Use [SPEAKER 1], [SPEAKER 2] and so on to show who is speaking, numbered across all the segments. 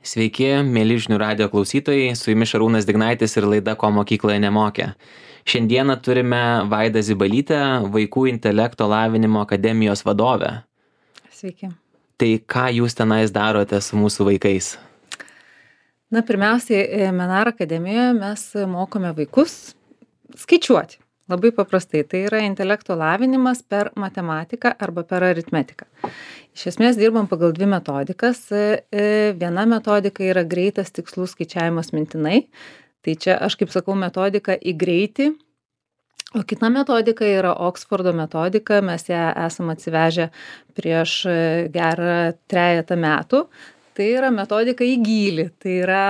[SPEAKER 1] Sveiki, mėly žinių radijo klausytojai, su jumis Šarūnas Dignaitis ir laida Ko mokykloje nemokė. Šiandieną turime Vaidą Zibalytę, Vaikų intelekto lavinimo akademijos vadovę.
[SPEAKER 2] Sveiki.
[SPEAKER 1] Tai ką jūs tenais darote su mūsų vaikais?
[SPEAKER 2] Na, pirmiausiai, Menaro akademijoje mes mokome vaikus skaičiuoti. Labai paprastai. Tai yra intelekto lavinimas per matematiką arba per aritmetiką. Iš esmės dirbam pagal dvi metodikas. Viena metodika yra greitas tikslus skaičiavimas mintinai. Tai čia aš kaip sakau metodika į greitį. O kita metodika yra Oksfordo metodika. Mes ją esam atsivežę prieš gerą 3 metų. Tai yra metodika į gylį. Tai yra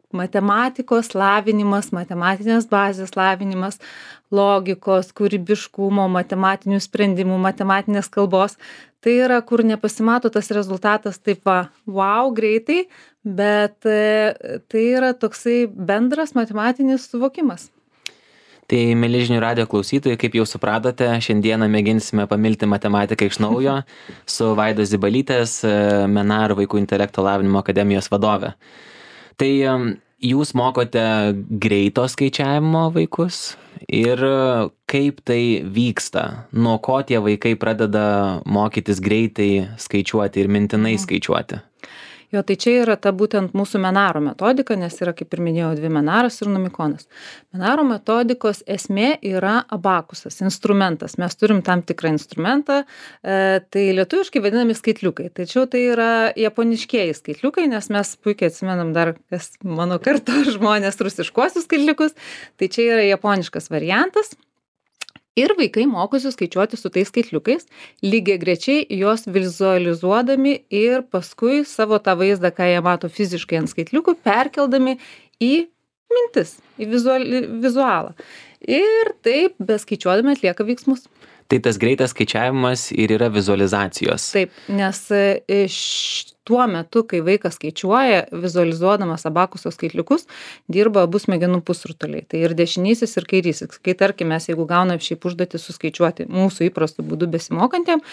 [SPEAKER 2] matematikos lavinimas, matematinės bazės lavinimas, logikos, kūrybiškumo, matematinių sprendimų, matematinės kalbos. Tai yra, kur nepasimato tas rezultatas taip wow, greitai, bet tai yra toksai bendras matematinis suvokimas.
[SPEAKER 1] Tai, mėly žinių radijo klausytojai, kaip jau supratote, šiandieną mėginsime pamilti matematiką iš naujo su Vaidos Zibalytės, Menaro Vaikų intelekto lavinimo akademijos vadove. Tai jūs mokote greito skaičiavimo vaikus ir kaip tai vyksta? Nuo ko tie vaikai pradeda mokytis greitai skaičiuoti ir mintinai skaičiuoti?
[SPEAKER 2] Jo, tai čia yra ta būtent mūsų Menaro metodika, nes yra, kaip ir minėjau, 2 Menaras ir Numikonas. Menaro metodikos esmė yra abakusas, instrumentas. Mes turim tam tikrą instrumentą, tai lietuviškai vadinami skaitliukai. Tačiau tai yra japoniškieji skaitliukai, nes mes puikiai atsimenam dar, kas mano karto žmonės rusiškuosius skaitliukus. Tai čia yra japoniškas variantas. Ir vaikai mokosi skaičiuoti su tais skaitliukais, lygiagrečiai juos vizualizuodami ir paskui savo tą vaizdą, ką jie mato fiziškai ant skaitliukų, perkeldami į mintis, į vizualą. Ir taip, beskaičiuodami atlieka veiksmus.
[SPEAKER 1] Tai tas greitas skaičiavimas ir yra vizualizacijos.
[SPEAKER 2] Taip, nes tuo metu, kai vaikas skaičiuoja, vizualizuodamas abakuso skaitliukus, dirba abu smegenų pusrutuliai. Tai ir dešinysis, ir kairysis. Kai tarkim, mes jeigu gauname šiaip užduotį suskaičiuoti mūsų įprastų būdų besimokantiem,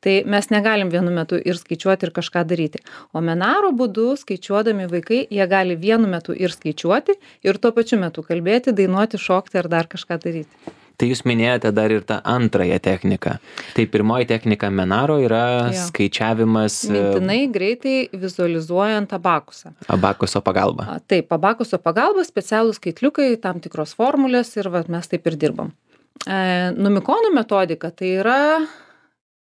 [SPEAKER 2] tai mes negalim vienu metu ir skaičiuoti ir kažką daryti. O Menaro būdu skaičiuodami vaikai, jie gali vienu metu ir skaičiuoti, ir tuo pačiu metu kalbėti, dainuoti, šokti ar dar kažką daryti.
[SPEAKER 1] Tai jūs minėjote dar ir tą antrąją techniką. Tai pirmoji technika Menaro yra skaičiavimas
[SPEAKER 2] mintinai greitai vizualizuojant abakusą.
[SPEAKER 1] Abakuso pagalba.
[SPEAKER 2] Taip, abakuso pagalba, specialūs skaitliukai, tam tikros formulės ir mes taip ir dirbam. Numikono metodika tai yra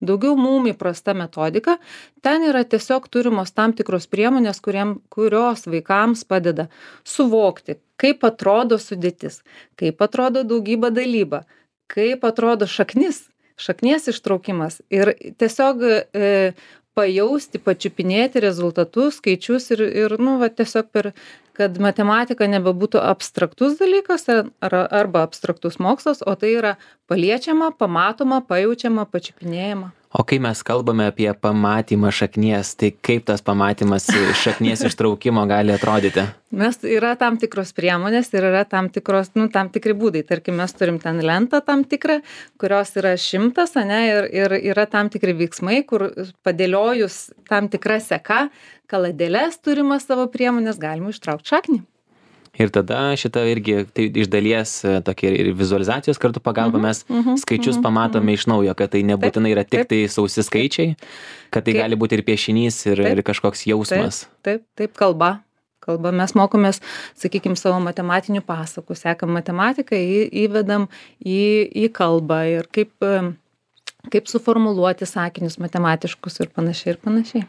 [SPEAKER 2] daugiau mum įprasta metodika. Ten yra tiesiog turimos tam tikros priemonės, kurios vaikams padeda suvokti, kaip atrodo sudėtis, kaip atrodo daugybė dalyba, kaip atrodo šaknies ištraukimas ir tiesiog pajausti, pačiupinėti rezultatus, skaičius ir tiesiog kad matematika nebebūtų abstraktus dalykas arba abstraktus mokslas, o tai yra paliečiama, pamatoma, pajaučiama, pačiupinėjama.
[SPEAKER 1] O kai mes kalbame apie pamatymą šaknies, tai kaip tas pamatymas šaknies ištraukimo gali atrodyti?
[SPEAKER 2] Yra tam tikros priemonės ir yra tam tikri būdai. Tarkim, mes turim ten lentą tam tikrą, kurios yra 100, ir yra tam tikri veiksmai, kur padėliojus tam tikrą seka, kaladėles turimas savo priemonės, galima ištraukti šaknį.
[SPEAKER 1] Ir tada šitą irgi tai iš dalies tokia ir vizualizacijos kartu pagalba mes skaičius pamatome iš naujo, kad tai nebūtinai yra tik tai sausi skaičiai, kad tai gali būti ir piešinys ir kažkoks jausmas.
[SPEAKER 2] Taip, kalba. Mes mokomės, sakykime, savo matematinių pasakų, sekam matematiką, įvedam į kalbą ir kaip suformuluoti sakinius matematiškus ir panašiai.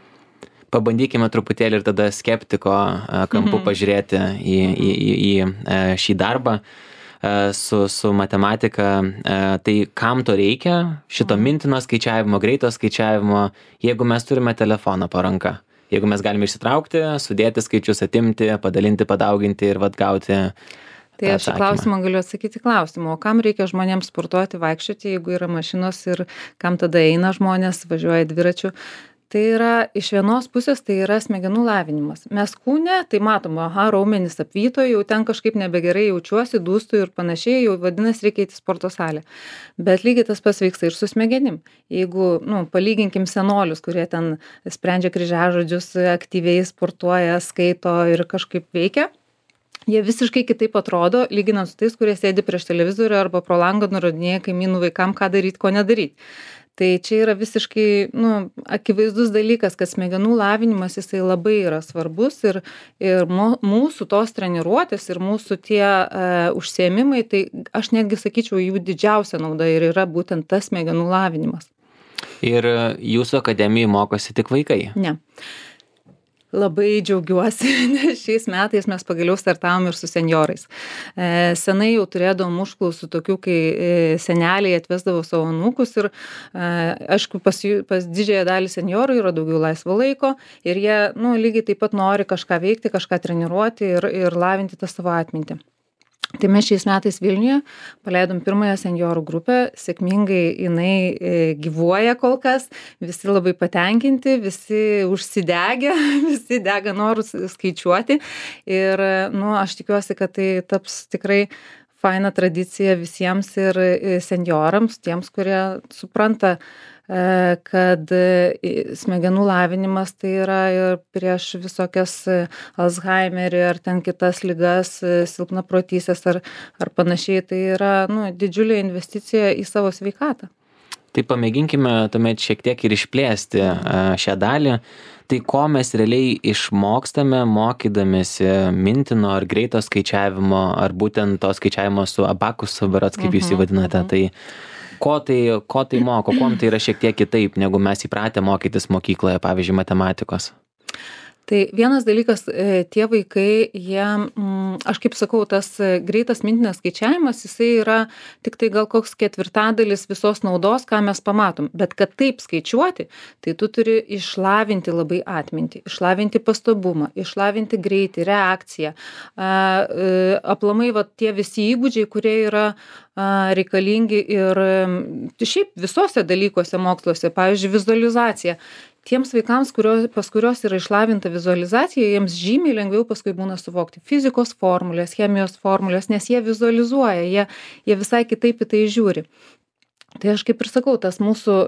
[SPEAKER 1] Pabandykime truputėlį ir tada skeptiko kampu pažiūrėti į šį darbą su matematika. Tai kam to reikia? Šito mintino skaičiavimo, greito skaičiavimo, jeigu mes turime telefoną po ranka. Jeigu mes galime išsitraukti, sudėti skaičius, atimti, padalinti, padauginti ir gauti.
[SPEAKER 2] Tai aš į klausimą galiu atsakyti klausimą, o kam reikia žmonėms sportuoti, vaikščioti, jeigu yra mašinos ir kam tada eina žmonės, važiuoja dviračiu. Tai yra iš vienos pusės tai yra smegenų lavinimas. Mes kūne, tai matom, raumenys apvyto, jau ten kažkaip nebegerai jaučiuosi, dūstu ir panašiai, jau vadinasi reikia eiti į sporto salę. Bet lygiai tas pats vyksta ir su smegenim. Jeigu, palyginkim senolius, kurie ten sprendžia kryžiažodžius, aktyviai sportuoja, skaito ir kažkaip veikia, jie visiškai kitaip atrodo, lyginant su tais, kurie sėdi prieš televizorių arba pro langą nurodinėja kaimynų vaikam, ką daryti, ko nedaryti. Tai čia yra visiškai akivaizdus dalykas, kad smegenų lavinimas jisai labai yra svarbus ir mūsų tos treniruotės ir mūsų tie užsiėmimai, tai aš netgi sakyčiau, jų didžiausia nauda ir yra būtent tas smegenų lavinimas.
[SPEAKER 1] Ir jūsų akademijai mokosi tik vaikai?
[SPEAKER 2] Ne. Labai džiaugiuosi, nes šiais metais mes pagaliau startavom ir su senjorais. Senai jau turėdavom užklausų tokių, kai seneliai atvesdavo savo anūkus ir, aišku, pas didžiąją dalį senjorų yra daugiau laisvo laiko ir jie, lygiai taip pat nori kažką veikti, kažką treniruoti ir lavinti tą savo atmintį. Tai mes šiais metais Vilniuje paleidom pirmąją senjorų grupę, sėkmingai jinai gyvuoja kol kas, visi labai patenkinti, visi užsidegę, visi dega norus skaičiuoti ir, aš tikiuosi, kad tai taps tikrai faina tradicija visiems ir senjorams, tiems, kurie supranta, kad smegenų lavinimas tai yra ir prieš visokias Alzheimerį ar ten kitas ligas, silpnaprotystės ar panašiai, tai yra didžiulė investicija į savo sveikatą.
[SPEAKER 1] Tai pamėginkime tuomet šiek tiek ir išplėsti šią dalį. Tai ko mes realiai išmokstame mokydamėsi mintino ar greito skaičiavimo, ar būtent to skaičiavimo su abakusu, berods, kaip jūs jį vadinate, tai ko tai moko, kuom tai yra šiek tiek kitaip, negu mes įpratę mokytis mokykloje, pavyzdžiui, matematikos?
[SPEAKER 2] Tai vienas dalykas, tie vaikai, jie, aš kaip sakau, tas greitas mintinis skaičiavimas, jisai yra tik tai gal koks ketvirtadalis visos naudos, ką mes pamatom. Bet kad taip skaičiuoti, tai tu turi išlavinti labai atmintį, išlavinti pastabumą, išlavinti greitį, reakciją. Aplamai tie visi įgūdžiai, kurie yra reikalingi ir šiaip visose dalykuose moksluose, pavyzdžiui, vizualizacija. Tiems vaikams, pas kurios yra išlavinta vizualizacija, jiems žymiai lengviau paskui būna suvokti fizikos formulės, chemijos formulės, nes jie vizualizuoja, jie visai kitaip į tai žiūri. Tai aš kaip ir sakau, tas mūsų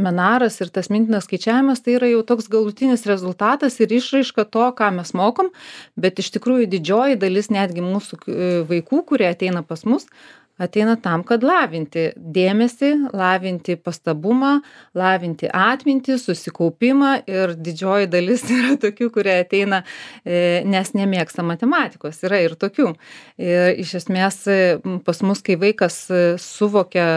[SPEAKER 2] menaras ir tas mintinas skaičiavimas, tai yra jau toks galutinis rezultatas ir išraiška to, ką mes mokom, bet iš tikrųjų didžioji dalis netgi mūsų vaikų, kurie ateina pas mus, ateina tam, kad lavinti dėmesį, lavinti pastabumą, lavinti atmintį, susikaupimą ir didžioji dalis yra tokių, kurie ateina, nes nemėgsta matematikos, yra ir tokių. Ir iš esmės pas mus, kai vaikas suvokia,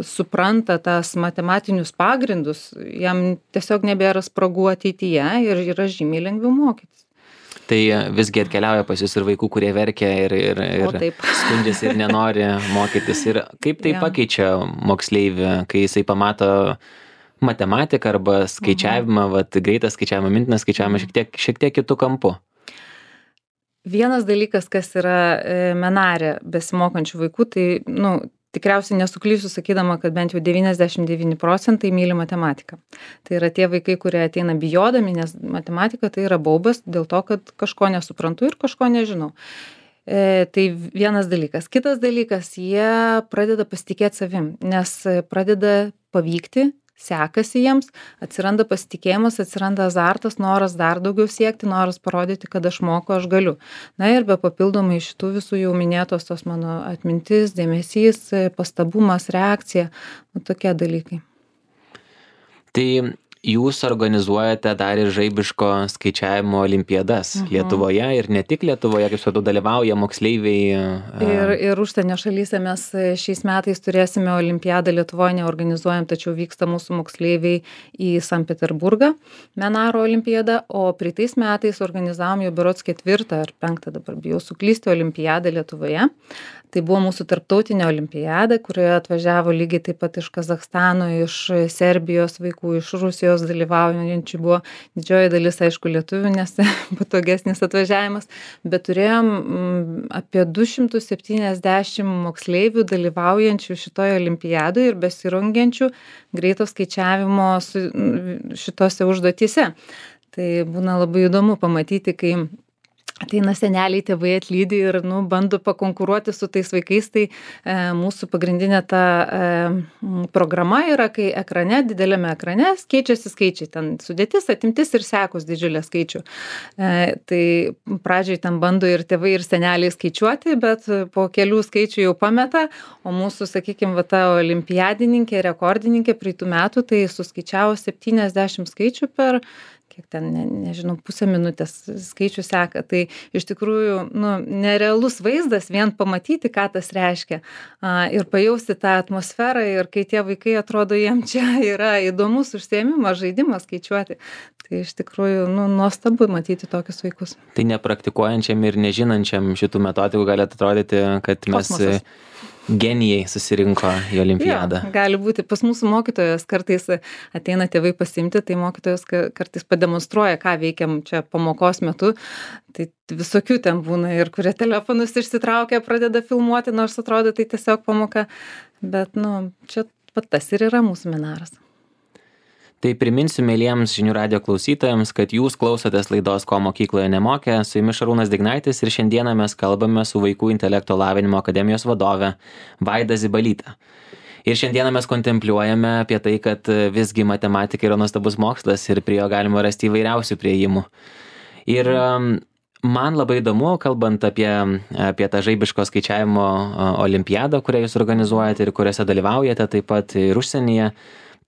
[SPEAKER 2] supranta tas matematinius pagrindus, jam tiesiog nebėra spragų ateityje ir yra žymiai lengviau mokytis.
[SPEAKER 1] Tai visgi atkeliauja pas jūs ir vaikų, kurie verkia ir skundžiasi ir nenori mokytis. Ir kaip tai pakeičia moksleivį, kai jisai pamato matematiką arba skaičiavimą, greitą skaičiavimą, mintiną skaičiavimą šiek tiek kitų kampų?
[SPEAKER 2] Vienas dalykas, kas yra menare besimokančių vaikų, tai, tikriausiai nesuklysiu sakydama, kad bent jau 99% myli matematiką. Tai yra tie vaikai, kurie ateina bijodami, nes matematika tai yra baubas dėl to, kad kažko nesuprantu ir kažko nežinau. Tai vienas dalykas. Kitas dalykas, jie pradeda pasitikėti savim, nes pradeda pavykti, sekasi jiems, atsiranda pasitikėjimas, atsiranda azartas, noras dar daugiau siekti, noras parodyti, kad aš moku, aš galiu. Na ir be papildomai šitų visų jau minėtos tos mano atmintis, dėmesys, pastabumas, reakcija, tokie dalykai. Tai
[SPEAKER 1] jūs organizuojate dar ir žaibiško skaičiavimo olimpiadas Lietuvoje ir ne tik Lietuvoje, kaip supratau, dalyvauja moksleiviai.
[SPEAKER 2] Ir užsienio šalyse mes šiais metais turėsime olimpiadą, Lietuvoje neorganizuojam, tačiau vyksta mūsų moksleiviai į Sankt Peterburgą, Menaro olimpiadą, o praeitais metais organizavom jau berods 4. ar 5. dabar bijau suklysti olimpiadą Lietuvoje. Tai buvo mūsų tarptautinė olimpiada, kurioje atvažiavo lygiai taip pat iš Kazachstano, iš Serbijos vaikų, iš Rusijos Rusijos dalyvaujančių buvo didžioji dalis, aišku, lietuvių, nes patogesnis atvažiavimas, bet turėjom apie 270 moksleivių dalyvaujančių šitoje olimpiadoje ir besirungiančių greito skaičiavimo šitose užduotyse. Tai būna labai įdomu pamatyti, kai ateina seneliai, tėvai atlydi ir bando pakonkuruoti su tais vaikais, tai mūsų pagrindinė ta programa yra, kai ekrane, dideliame ekrane keičiasi skaičiai, ten sudėtis, atimtis ir sekos didžiulė skaičių. Tai pradžiai ten bando ir tėvai, ir seneliai skaičiuoti, bet po kelių skaičių jau pameta, o mūsų, sakykime, ta olimpiadininkė, rekordininkė praeitų metų, tai suskaičiavo 70 skaičių per kiek ten, nežinau, pusę minutės skaičių seka. Tai iš tikrųjų, nerealus vaizdas vien pamatyti, ką tas reiškia ir pajausti tą atmosferą ir kai tie vaikai atrodo, jiem čia yra įdomus užsiėmimas, žaidimas skaičiuoti. Tai iš tikrųjų, nuostabu matyti tokius vaikus.
[SPEAKER 1] Tai nepraktikuojančiam ir nežinančiam šitų metodikų gali atrodyti, kad mes genijai susirinko į olimpiadą.
[SPEAKER 2] Jo, gali būti. Pas mūsų mokytojas kartais ateina tėvai pasiimti, tai mokytojas kartais pademonstruoja, ką veikiam čia pamokos metu. Tai visokių ten būna ir kurie telefonus išsitraukia, pradeda filmuoti, nors atrodo tai tiesiog pamoka. Bet, čia tas ir yra mūsų seminaras.
[SPEAKER 1] Tai priminsiu mieliems žinių radijo klausytojams, kad jūs klausotės laidos Ko mokykloje nemokė, su jumis Šarūnas Dignaitis ir šiandieną mes kalbame su Vaikų intelekto lavinimo akademijos vadove Vaida Zibalyte. Ir šiandieną mes kontempliuojame apie tai, kad visgi matematika yra nuostabus mokslas ir prie jo galima rasti įvairiausių priėjimų. Ir man labai įdomu, kalbant apie tą žaibiško skaičiavimo olimpiadą, kurią jūs organizuojate ir kuriuose dalyvaujate taip pat ir užsienyje.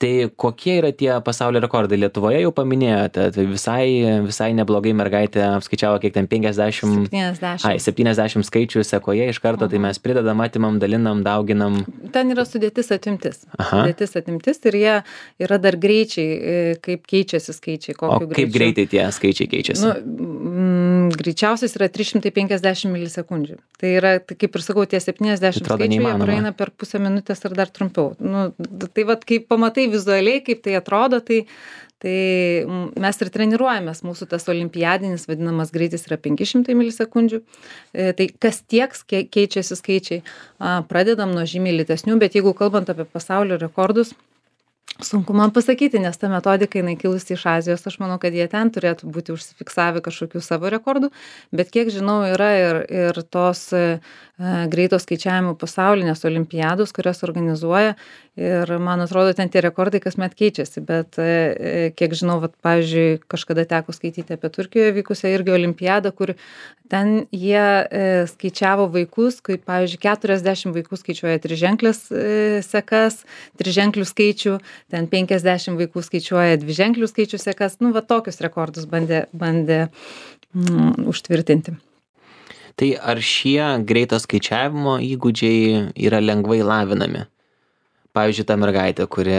[SPEAKER 1] Tai kokie yra tie pasaulio rekordai? Lietuvoje jau paminėjote, tai visai neblogai mergaitė apskaičiavo kiek ten 70 skaičių sekoje iš karto, tai mes pridedam, atimam, dalinam, dauginam.
[SPEAKER 2] Ten yra sudėtis atimtis. Sudėtis atimtis ir jie yra dar greičiai, kaip keičiasi skaičiai.
[SPEAKER 1] O kaip greitai tie skaičiai keičiasi?
[SPEAKER 2] Greičiausias yra 350 milisekundžių. Tai yra, kaip ir sakau, tie 70 skaičių jie praeina per pusę minutės ar dar trumpiau. Tai vat, kai pamatai vizualiai, kaip tai atrodo, tai mes ir treniruojamės. Mūsų tas olimpiadinis vadinamas greitis yra 500 milisekundžių. Tai kas tiek keičiasi skaičiai, pradedam nuo žymiai lėtesnių, bet jeigu kalbant apie pasaulio rekordus, sunku man pasakyti, nes ta metodika jinai kilusi iš Azijos, aš manau, kad jie ten turėtų būti užsifiksavę kažkokių savo rekordų, bet kiek žinau, yra ir tos greito skaičiavimo pasaulinės olimpiados, kurias organizuoja ir man atrodo, ten tie rekordai kasmet keičiasi, bet kiek žinau, pavyzdžiui, kažkada teko skaityti apie Turkijoje vykusią irgi olimpiadą, kur ten jie skaičiavo vaikus, kaip pavyzdžiui 40 vaikų skaičiuoja triženklės sekas, triženklių skaičių, ten 50 vaikų skaičiuoja dviženklių skaičių sekas, tokius rekordus bandė užtvirtinti.
[SPEAKER 1] Tai ar šie greito skaičiavimo įgūdžiai yra lengvai lavinami? Pavyzdžiui, ta mergaitė, kuri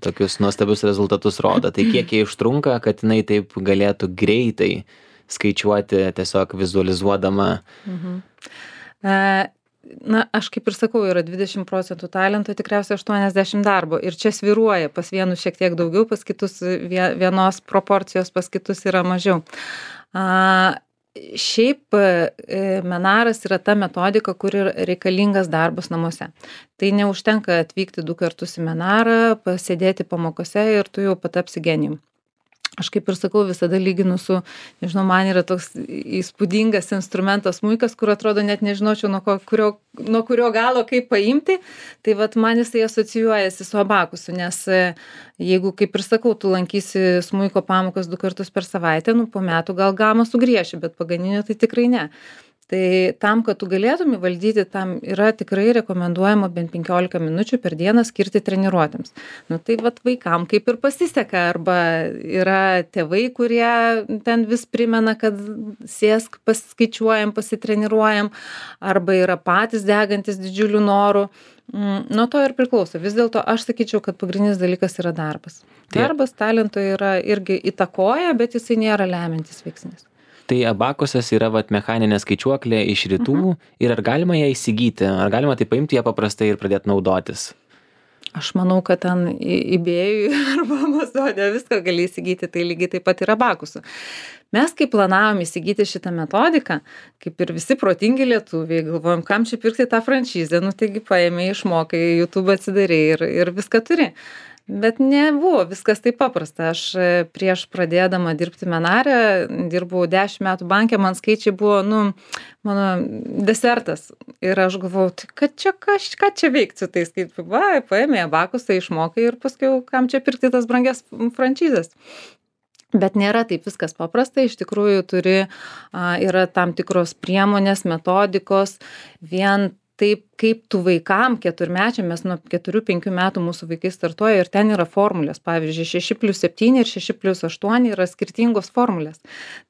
[SPEAKER 1] tokius nuostabius rezultatus rodo, tai kiek jie užtrunka, kad jinai taip galėtų greitai skaičiuoti, tiesiog vizualizuodama?
[SPEAKER 2] Aš kaip ir sakau, yra 20% talento, tikriausiai 80 darbo. Ir čia svyruoja, pas vienus šiek tiek daugiau, pas kitus vienos proporcijos, pas kitus yra mažiau. Šiaip menaras yra ta metodika, kur yra reikalingas darbas namuose. Tai neužtenka atvykti 2 kartus į menarą, pasėdėti pamokose ir tu jau patapsi genijum. Aš kaip ir sakau, visada lyginu su, nežinau, man yra toks įspūdingas instrumentas smuikas, kur atrodo net nežinočiau nuo kurio galo kaip paimti, tai man jisai asocijuojasi su abakusu, nes jeigu, kaip ir sakau, tu lankysi smuiko pamokas 2 kartus per savaitę, po metų gal gamą sugrieši, bet paganinio tai tikrai ne. Tai tam, kad tu galėtum įvaldyti, tam yra tikrai rekomenduojama bent 15 minučių per dieną skirti treniruotėms. Tai vaikam kaip ir pasiseka, arba yra tėvai, kurie ten vis primena, kad sėsk, pasiskaičiuojam, pasitreniruojam, arba yra patys degantis didžiulių norų. Nuo to ir priklauso. Vis dėlto aš sakyčiau, kad pagrindinis dalykas yra darbas. Darbas talento yra irgi įtakoja, bet jisai nėra lemiantis veiksnys.
[SPEAKER 1] Tai abakusas yra mechaninė skaičiuoklė iš rytų ir ar galima ją įsigyti? Ar galima tai paimti ją paprastai ir pradėti naudotis?
[SPEAKER 2] Aš manau, kad ten eBay'ui arba Amazon'e viską gali įsigyti, tai lygiai taip pat ir abakusų. Mes, kai planavom įsigyti šitą metodiką, kaip ir visi protingi lietuviai, galvojom, kam čia pirkti tą franšizę, nu taigi paėmė, išmokai, YouTube atsidarė ir viską turi. Bet nebuvo viskas taip paprasta. Aš prieš pradėdama dirbti Menare, dirbau 10 metų banke, man skaičiai buvo, mano desertas. Ir aš galvojau, tai ką čia veikti su tais, kaip, paėmė abakusą, išmokai ir paskui, kam čia pirkti tas brangias franšizės. Bet nėra taip viskas paprasta, iš tikrųjų yra tam tikros priemonės, metodikos, vien taip kaip tu vaikam, 4-mečiam, mes nuo 4-5 metų mūsų vaikai startuoja ir ten yra formulės, pavyzdžiui, 6+7 ir 6+8 yra skirtingos formulės.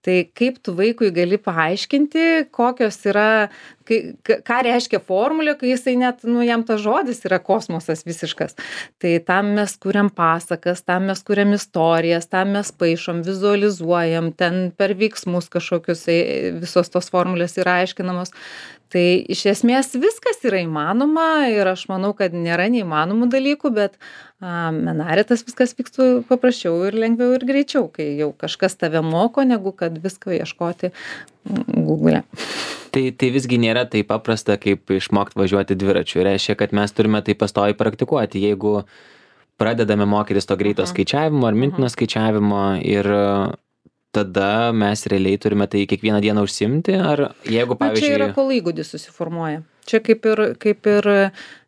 [SPEAKER 2] Tai kaip tu vaikui gali paaiškinti, kokios yra, ką reiškia formulė, kai jisai net, jam tas žodis yra kosmosas visiškas. Tai tam mes kuriam pasakas, tam mes kuriam istorijas, tam mes paišom, vizualizuojam, ten per veiksmus kažkokius visos tos formulės yra aiškinamos. Tai iš esmės viskas yra įmanoma ir aš manau, kad nėra neįmanomų dalykų, bet Menare tas viskas vyktų paprasčiau ir lengviau ir greičiau, kai jau kažkas tave moko, negu kad viską ieškoti Google'e.
[SPEAKER 1] Tai visgi nėra taip paprasta, kaip išmokti važiuoti dviračiu. Reiškia, kad mes turime tai pastoviai praktikuoti. Jeigu pradedame mokytis to greito skaičiavimo ar mintino skaičiavimo ir tada mes realiai turime tai kiekvieną dieną užsiimti, ar jeigu, pavyzdžiui...
[SPEAKER 2] Čia yra, kol įgūdis susiformuoja. Čia kaip ir,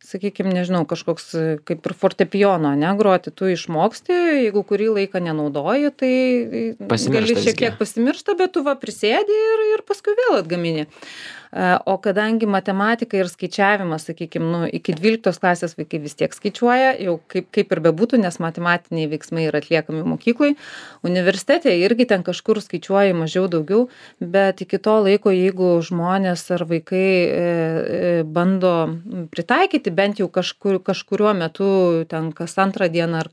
[SPEAKER 2] sakykime, nežinau, kažkoks kaip ir fortepijono, groti, tu išmoksti, jeigu kurį laiką nenaudoji, tai gali šiek tiek pasimiršta, bet tu prisėdi ir paskui vėl atgamini. O kadangi matematika ir skaičiavimas, sakykime, iki 12 klasės vaikai vis tiek skaičiuoja, jau kaip ir bebūtų, nes matematiniai veiksmai yra atliekami mokyklai, universitete irgi ten kažkur skaičiuoja mažiau daugiau, bet iki to laiko, jeigu žmonės ar vaikai bando pritaikyti bent jau kažkuriuo metu, ten kas antrą dieną ar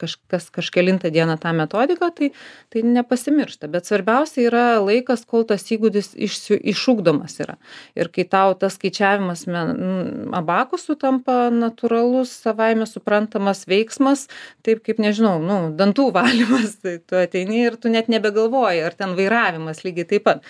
[SPEAKER 2] kažkelintą dieną tą metodiką, tai nepasimiršta. Bet svarbiausia yra laikas, kol tas įgūdis išugdomas yra. Ir kai tau tas skaičiavimas abakusų tampa natūralus, savaime suprantamas veiksmas, taip kaip, nežinau, dantų valymas, tai tu ateini ir tu net nebegalvoji, ar ten vairavimas lygiai taip pat.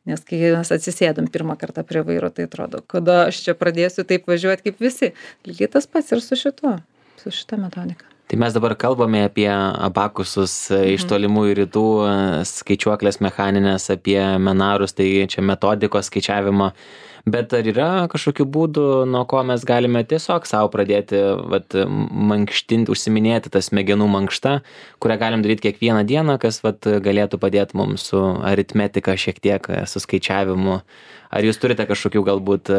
[SPEAKER 2] Nes kai mes atsisėdam pirmą kartą prie vairo, tai atrodo, kada aš čia pradėsiu taip važiuoti kaip visi. Lygiai tas pats ir su šita metodika.
[SPEAKER 1] Tai mes dabar kalbame apie abakusus iš tolimųjų rytų, skaičiuoklės mechaninės, apie menarus, tai čia metodikos skaičiavimo. Bet ar yra kažkokių būdų, nuo ko mes galime tiesiog savo pradėti mankštinti, užsiminėti tą smegenų mankštą, kurią galim daryti kiekvieną dieną, kas galėtų padėti mums su aritmetika šiek tiek, su skaičiavimu? Ar jūs turite kažkokių galbūt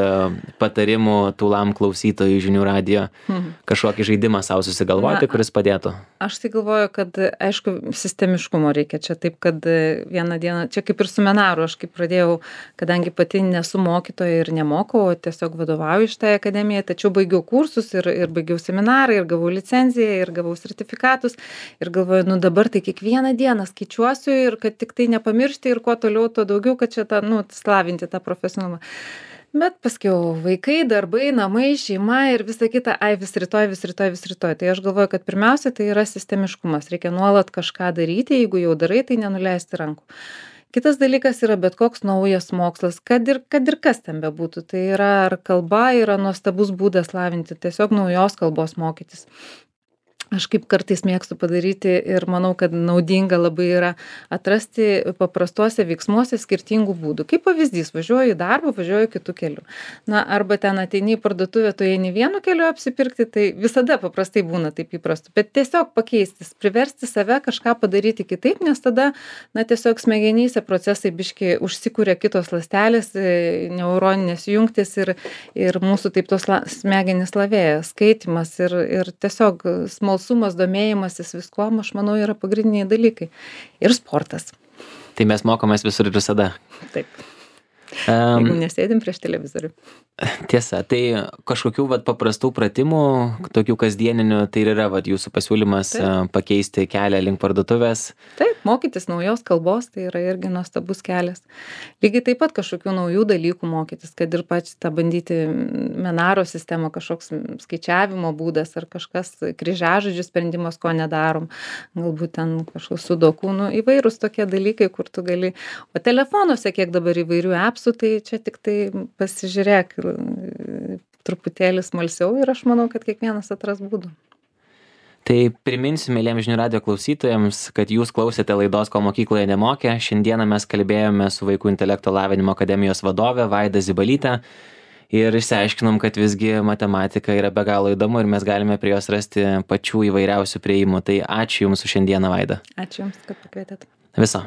[SPEAKER 1] patarimų tūlam klausytojų žinių radijo, kažkokį žaidimą savo susigalvoti, kuris padėtų?
[SPEAKER 2] Aš tai galvoju, kad aišku, sistemiškumo reikia čia taip, kad vieną dieną, čia kaip ir su Menaru, aš kaip pradėjau, kadangi pati nesu mokytoja ir nemokau, tiesiog vadovauju šitai akademijai, tačiau baigiau kursus ir baigiau seminarą, ir gavau licenciją, ir gavau sertifikatus, ir galvoju, dabar tai kiekvieną dieną skaičiuosiu ir kad tik tai nepamiršti ir kuo toliau, tuo daugiau, kad čia slavinti tą profesionalumą. Bet paskiau vaikai, darbai, namai, šeima ir visa kita, vis rytoj. Tai aš galvoju, kad pirmiausia tai yra sistemiškumas. Reikia nuolat kažką daryti, jeigu jau darai, tai nenuleisti rankų. Kitas dalykas yra bet koks naujas mokslas, kad ir kas ten bebūtų. Tai yra ar kalba yra nuostabus būdas lavinti, tiesiog naujos kalbos mokytis. Aš kaip kartais mėgstu padaryti ir manau, kad naudinga labai yra atrasti paprastuose veiksmuose skirtingų būdų. Kaip pavyzdys, važiuoju į darbą, važiuoju kitų kelių. Arba ten ateini į parduotuvę, tu eini vienu keliu apsipirkti, tai visada paprastai būna taip įprastu. Bet tiesiog pakeisti, priversti save kažką padaryti kitaip, nes tada, tiesiog smegenyse procesai biški užsikūrė kitos ląstelės, neuroninės jungtis ir mūsų taip tos smegenys lavėja, skaitimas ir tiesiog smalsumas, domėjimasis viskuom, aš manau, yra pagrindiniai dalykai. Ir sportas.
[SPEAKER 1] Tai mes mokomės visur ir visada.
[SPEAKER 2] Taip. jeigu nesėdim prieš televizorių.
[SPEAKER 1] Tiesa, tai kažkokių paprastų pratimų, tokių kasdieninių, tai yra jūsų pasiūlymas pakeisti kelią link parduotuvės.
[SPEAKER 2] Taip, mokytis naujos kalbos, tai yra irgi nuostabus kelias. Lygiai taip pat kažkokių naujų dalykų mokytis, kad ir pačią tą bandyti Menaro sistemą, kažkoks skaičiavimo būdas ar kažkas kryžiažodžių sprendimas, ko nedarom. Galbūt ten kažkoks sudoku, įvairūs tokie dalykai, kur tu gali. O telefonuose, kiek dabar įvairių appsų, tai čia tik tai pasižiūrėk truputėlį smalsiau ir aš manau, kad kiekvienas atras būdų.
[SPEAKER 1] Tai priminsiu, mėlyjams žinių radijo klausytojams, kad jūs klausėte laidos Ko mokykloje nemokė. Šiandieną mes kalbėjome su Vaikų intelekto lavinimo akademijos vadove Vaida Zibalyte ir išsiaiškinom, kad visgi matematika yra be galo įdomu ir mes galime prie jos rasti pačių įvairiausių prieimų. Tai ačiū Jums už šiandieną, Vaida.
[SPEAKER 2] Ačiū Jums, kad pakvietėt.
[SPEAKER 1] Viso.